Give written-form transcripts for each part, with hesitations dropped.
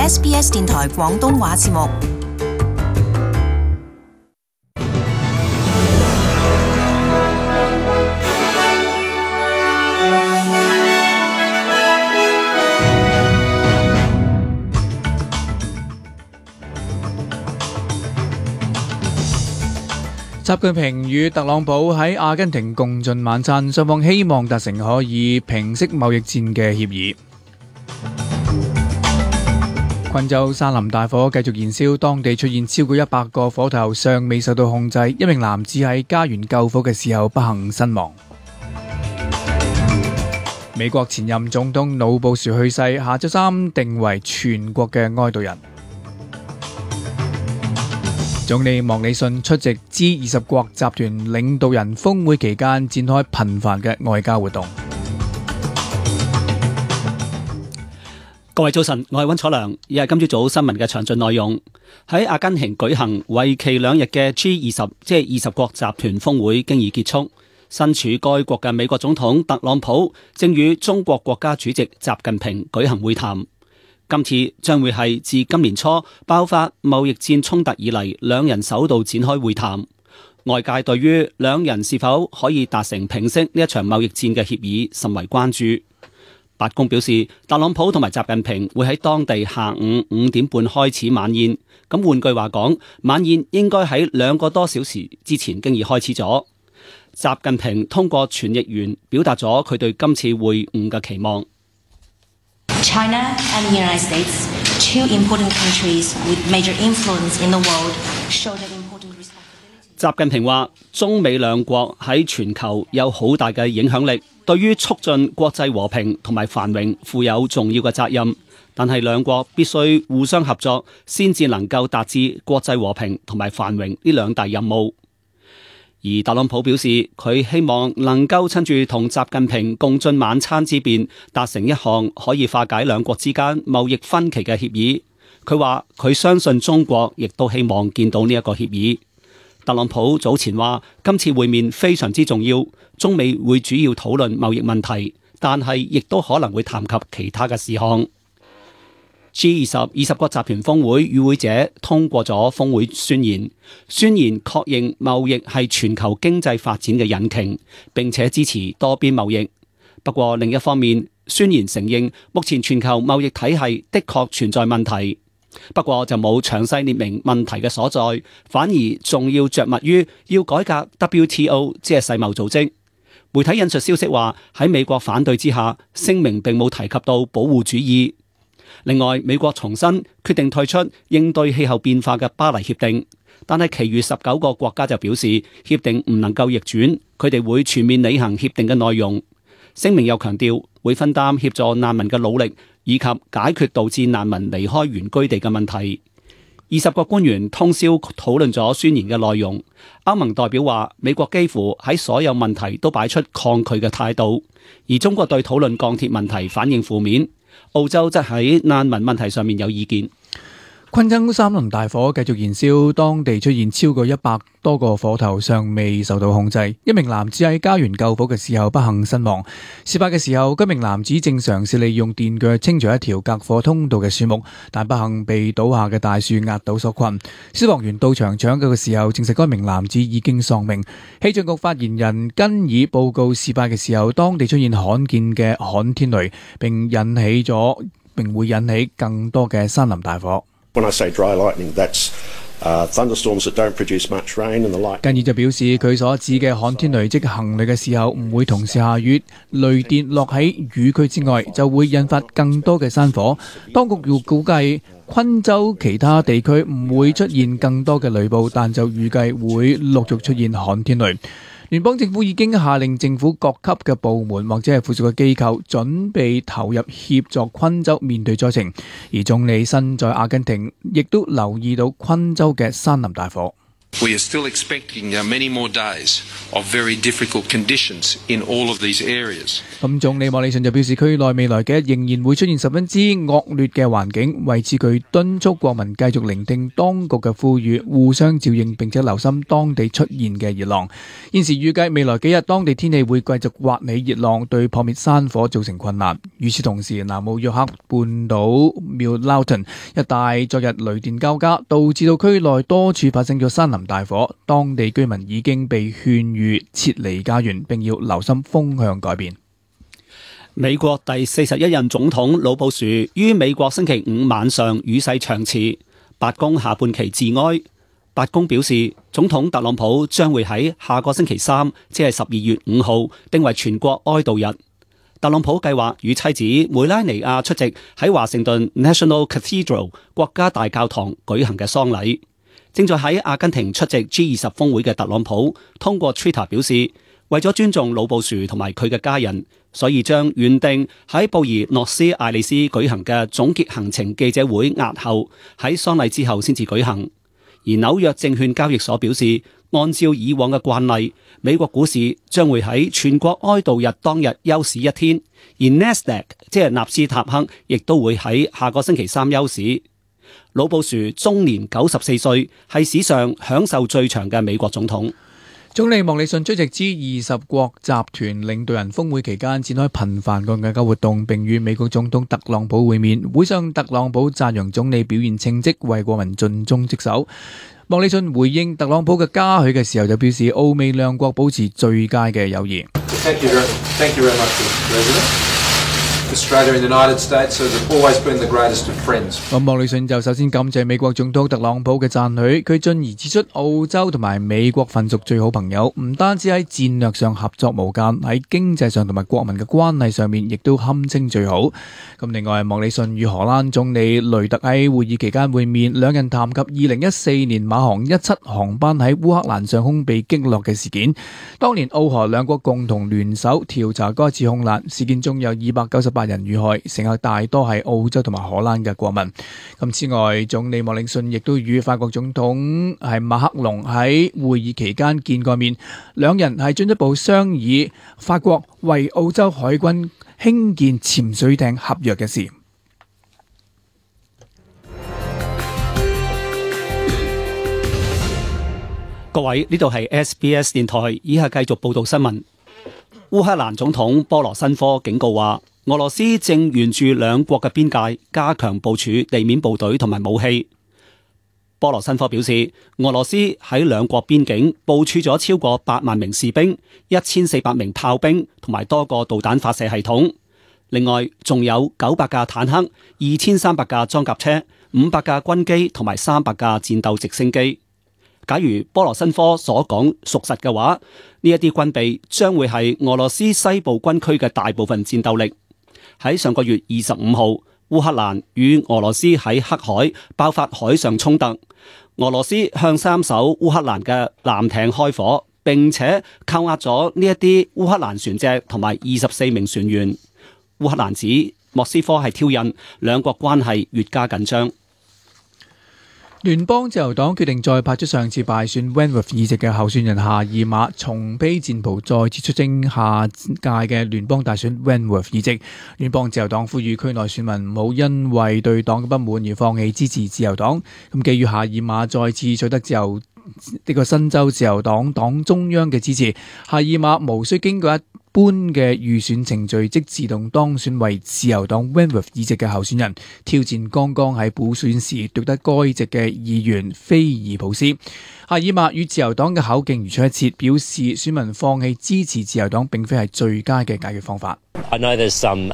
SBS 電台廣東話節目。習近平與特朗普喺阿根廷共進晚餐，雙方希望達成可以平息貿易戰嘅協議。昆州山林大火繼續燃燒，當地出現超過100個火頭，尚未受到控制。一名男子喺家園救火嘅時候不幸身亡。美國前任總統老布殊去世，下週三定為全國嘅哀悼日。總理莫里遜出席 G20 國集團領導人峰會期間展開頻繁嘅外交活動。各位早晨，我係溫楚良，以下今朝早新聞嘅詳盡內容。喺阿根廷舉行為期2日嘅 G20 即係20國集團峰會經已結束，身處該國嘅美國總統特朗普正與中國國家主席習近平舉行會談。今次將會係自今年初爆發貿易戰衝突以嚟，兩人首度展開會談。外界對於兩人是否可以達成平息呢一場貿易戰嘅協議甚為關注。白宮表示，特朗普同埋習近平會喺當地下午5點半開始晚宴。咁換句話講，晚宴應該喺2個多小時之前經已開始咗。習近平通過傳譯員表達咗佢對今次會晤嘅期望。China and the United States, two important countries with major influence in the world, show that important responsibility. 習近平話：中美兩國喺全球有好大嘅影響力，對於促進國際和平同埋繁榮負有重要嘅責任。但係兩國必須互相合作，先至能夠達至國際和平同埋繁榮呢兩大任務。而特朗普表示，佢希望能夠趁住同習近平共進晚餐之便，達成一項可以化解兩國之間貿易分歧嘅協議。佢話佢相信中國亦都希望見到呢一個協議。特朗普早前話，今次會面非常之重要，中美會主要討論貿易問題，但係亦都可能會談及其他嘅事項。G20 國集團峰會與會者通過咗峰會宣言，宣言確認貿易係全球經濟發展嘅引擎，並且支持多邊貿易。不過另一方面，宣言承認目前全球貿易體系的確存在問題，不過就冇詳細列明問題嘅所在，反而仲要着墨於要改革 WTO 即係世貿組織。媒體引述消息話，喺美國反對之下，聲明並冇提及到保護主義。另外，美國重申決定退出應對氣候變化嘅巴黎協定，但係其餘19個國家就表示協定唔能夠逆轉，佢哋會全面履行協定嘅內容。聲明又強調會分擔協助難民嘅努力，以及解決導致難民離開原居地嘅問題。20個官員通宵討論咗宣言嘅內容。歐盟代表話，美國幾乎喺所有問題都擺出抗拒嘅態度，而中國對討論鋼鐵問題反應負面。澳洲則喺難民問題上面有意見。昆州山林大火繼續燃燒，當地出現超過100多個火頭，尚未受到控制。一名男子喺家園救火嘅時候不幸身亡。事發嘅時候，該名男子正嘗試利用電鋸清除一條隔火通道嘅樹木，但不幸被倒下嘅大樹壓倒所困。消防員到場搶救嘅時候，證實該名男子已經喪命。氣象局發言人根爾報告，事發嘅時候，當地出現罕見嘅旱天雷，並會引起更多嘅山林大火。When I say dry lightning, that's thunderstorms that don't produce much rain and the light. 根爾就表示，佢所指嘅旱天雷即行雷嘅時候唔會同時下雨，雷電落喺雨區之外，就會引發更多嘅山火。當局要估計昆州其他地區唔會出現更多嘅雷暴，但就預計會陸續出現旱天雷。聯邦政府已經下令政府各級嘅部門或者係附屬嘅機構準備投入協助昆州面對災情，而總理身在阿根廷亦都留意到昆州嘅山林大火。We are still expecting many more days of very difficult conditions in all of these areas. 咁總理莫里遜就表示，區內未來嘅日仍然會出現十分之惡劣嘅環境，為此佢敦促國民繼續聆聽當局嘅呼籲，互相照應並且留心當地出現嘅熱浪。現時預計未來幾日當地天氣會繼續颳起熱浪，對撲滅山火造成困難。與此同時，南澳約克半島 Millowton 一帶昨日雷電交加，導致到區內多處發生咗山林大火，當地居民已經被勸喻撤離家園，並要留心風向改變。美國第41任總統老布殊於美國星期五晚上與世長辭，白宮下半旗致哀。白宮表示，總統特朗普將會喺下個星期三，即係12月5號，定為全國哀悼日。特朗普計劃與妻子梅拉尼亞出席喺華盛頓 National Cathedral 國家大教堂舉行嘅喪禮。正在喺阿根廷出席 G20 峰會嘅特朗普通過 Twitter 表示，為咗尊重老布殊同埋佢嘅家人，所以將原定喺布宜諾斯艾利斯舉行嘅總結行程記者會押後，喺喪禮之後先至舉行。而紐約證券交易所表示，按照以往嘅慣例，美國股市將會喺全國哀悼日當日休市一天，而 Nasdaq 即係納斯達克亦都會喺下個星期三休市。老布殊終年94歲，係史上享受最長嘅美國總統。總理莫里遜出席 G20 國集團領導人峰會期間展開頻繁嘅外交活動，並與美國總統特朗普會面。會上，特朗普讚揚總理表現稱職，為國民盡忠職守。莫里遜回應特朗普嘅嘉許嘅時候就表示，澳美兩國保持最佳嘅友誼。Thank you very much, Mr. President. Australia and the United States have always been the greatest of friends. 咁莫里遜就首先感謝美國總統特朗普嘅讚許，佢進而指出澳洲同埋美國份屬最好朋友，唔單止喺戰略上合作無間，喺經濟上同埋國民嘅關係上面亦都堪稱最好。咁另外，莫里遜與荷蘭總理雷特喺會議期間會面，兩人談及2014年馬航17航班喺烏克蘭上空被擊落嘅事件。當年澳荷兩國共同聯手調查該次空難事件，中有298人遇害，乘客大多係澳洲同埋荷蘭嘅國民。咁此外，總理莫里遜亦都與法國總統係馬克龍喺會議期間見過面，兩人係進一步商議法國為澳洲海軍興建潛水艇合約嘅事。各位，呢度係 SBS 電台，以下繼續報道新聞。烏克蘭總統波羅申科警告話，俄羅斯正沿住兩國嘅邊界加強部署地面部隊同埋武器。波羅申科表示，俄羅斯喺兩國邊境部署咗超過8萬名士兵、1400名炮兵同埋多個導彈發射系統。另外，仲有900架坦克、2300架裝甲車、500架軍機同埋300架戰鬥直升機。假如波羅申科所講屬實嘅話，呢一啲軍備將會係俄羅斯西部軍區嘅大部分戰鬥力。喺上個月25號，烏克蘭與俄羅斯喺黑海爆發海上衝突，俄羅斯向3艘烏克蘭嘅艦艇開火，並且扣押咗呢一啲烏克蘭船隻同埋24名船員。烏克蘭指莫斯科係挑釁，兩國關係越加緊張。聯邦自由黨決定再派出上次敗選 Wentworth 議席嘅候選人夏爾馬，重披戰袍再次出征下屆嘅聯邦大選 Wentworth 議席。聯邦自由黨呼籲區內選民唔好因為對黨嘅不滿而放棄支持自由黨。咁基於夏爾馬再次取得呢個新州自由黨黨中央嘅支持，夏爾馬無需經過一般嘅預選程序，即自動當選為自由黨 Wentworth 議席嘅候選人，挑戰剛剛喺補選時奪得該席嘅議員菲爾普斯。夏爾馬與自由黨嘅口徑如出一轍，表示選民放棄支持自由黨並非係最佳嘅解決方法。I know there's some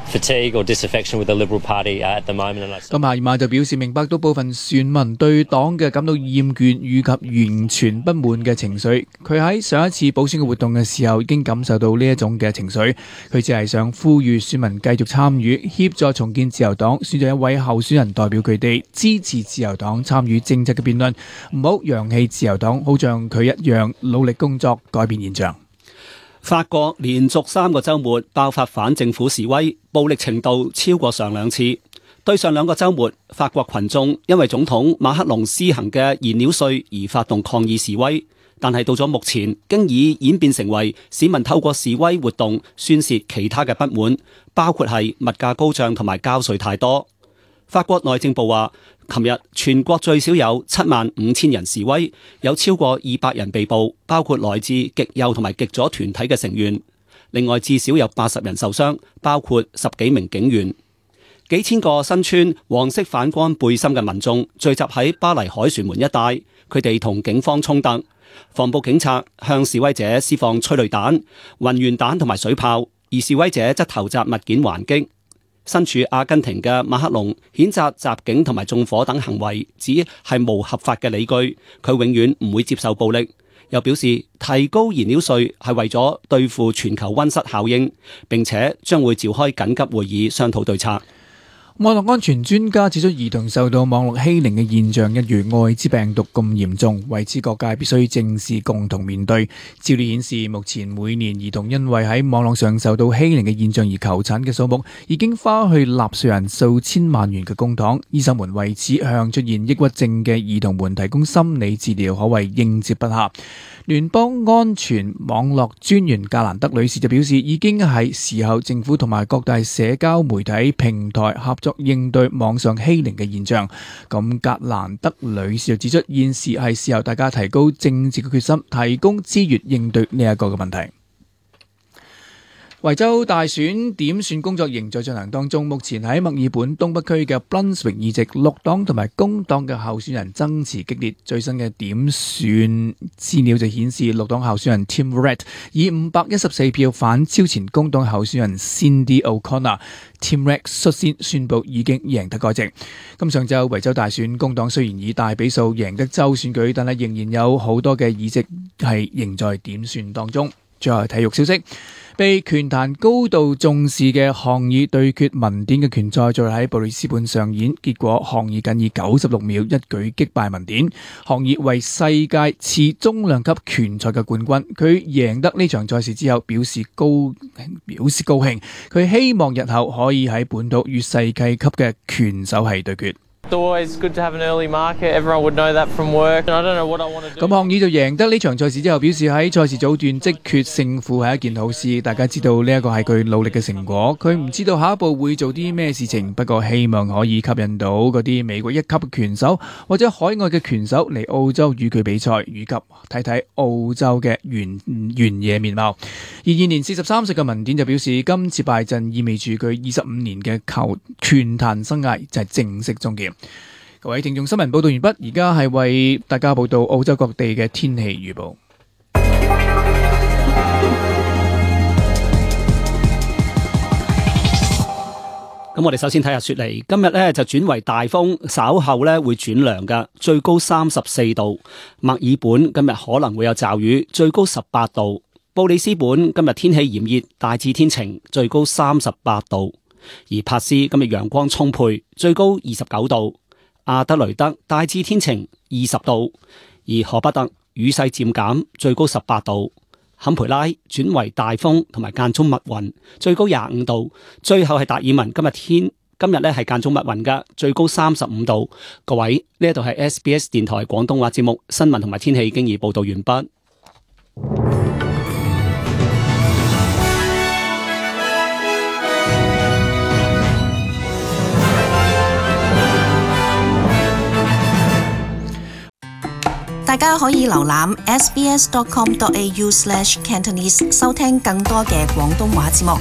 fatigue or disaffection with the Liberal Party at the moment. 咁夏爾馬就表示明白到部分選民對黨嘅感到厭倦以及完全不滿嘅情緒。佢喺上一次補選嘅活動嘅時候已經感受到呢一種嘅情緒。佢只係想呼籲選民繼續參與，協助重建自由黨，選擇一位候選人代表佢哋，支持自由黨參與政策嘅辯論，唔好揚棄自由黨，好像佢一樣努力工作改變現象。法國連續3個週末爆發反政府示威，暴力程度超過上2次。對上2個週末，法國群眾因為總統馬克龍施行嘅燃料稅而發動抗議示威，但係到咗目前，經已演變成為市民透過示威活動宣洩其他嘅不滿，包括係物價高漲同埋交稅太多。法國內政部話，琴日全國最少有75000人示威，有超過200人被捕，包括來自極右同埋極左團體嘅成員。另外至少有80人受傷，包括10幾名警員。幾千個身穿黃色反光背心嘅民眾聚集喺巴黎凱旋門一帶，佢哋同警方衝突，防暴警察向示威者施放催淚彈、雲源彈同埋水炮，而示威者則投擲物件還擊。身處阿根廷嘅馬克龍譴責襲警同埋縱火等行為，指係無合法嘅理據，佢永遠唔會接受暴力。又表示提高燃料稅係為咗對付全球溫室效應，並且將會召開緊急會議商討對策。網絡安全專家指出，兒童受到網絡欺凌嘅現象一如愛滋病毒咁嚴重，為此各界必須正視，共同面對。資料顯示，目前每年兒童因為喺網絡上受到欺凌嘅現象而求診嘅數目，已經花去納稅人數千萬元嘅公帑。醫生們為此向出現抑鬱症嘅兒童們提供心理治療，可謂應接不暇。聯邦安全網絡專員格蘭德女士就表示，已經係時候政府同埋各大社交媒體平台合作應對網上欺凌嘅現象。咁格蘭德女士就指出，現時係時候大家提高政治嘅決心，提供資源應對呢一個嘅問題。維州大選點算工作仍在進行當中，目前喺墨爾本東北區嘅 Brunswick 議席，綠黨同埋工黨嘅候選人爭持激烈。最新嘅點算資料就顯示，綠黨候選人 Tim Red 以514票反超前工黨候選人 Cindy O'Connor。Tim Red 率先宣布已經贏得該席。咁上晝維州大選，工黨雖然以大比數贏得州選舉，但係仍然有好多嘅議席係仍在點算當中。最後係體育消息。被拳壇高度重視嘅項爾對決文典嘅拳賽，再喺布里斯本上演，結果項爾僅以96秒一舉擊敗文典，項爾為世界次中量級拳賽嘅冠軍。佢贏得呢場賽事之後表示高興，佢希望日後可以喺本土與世界級嘅拳手係對決。咁項爾就贏得呢場賽事之後表示，喺賽事早段即決勝負係一件好事，大家知道呢一個係佢努力嘅成果。佢唔知道下一步會做啲咩事情，不過希望可以吸引到嗰啲美國一級嘅拳手或者海外嘅拳手嚟澳洲與佢比賽，以及睇睇澳洲嘅原野面貌。而現年43歲嘅文典就表示，今次敗陣意味住佢25年嘅拳壇生涯就係正式終結。各位聽眾，新聞報道完畢，而家係為大家報道澳洲各地嘅天氣預報。咁我哋首先睇下雪梨，今日呢就轉為大風，稍後呢會轉涼㗎，最高34度。墨爾本今日可能會有驟雨，最高18度。布里斯本今日天氣炎熱，大致天晴，最高38度。而珀斯今日陽光充沛，最高29度。阿德雷德大致天晴，20度；而荷伯特雨勢漸減，最高18度。坎培拉轉為大風同埋間中密雲，最高25度。最後係達爾文，今日咧係間中密雲噶，最高35度。各位，呢一度係 SBS 電台廣東話節目新聞同埋天氣已經已報道完畢。大家可以瀏覽 sbs.com.au/Cantonese 收聽更多嘅廣東話節目。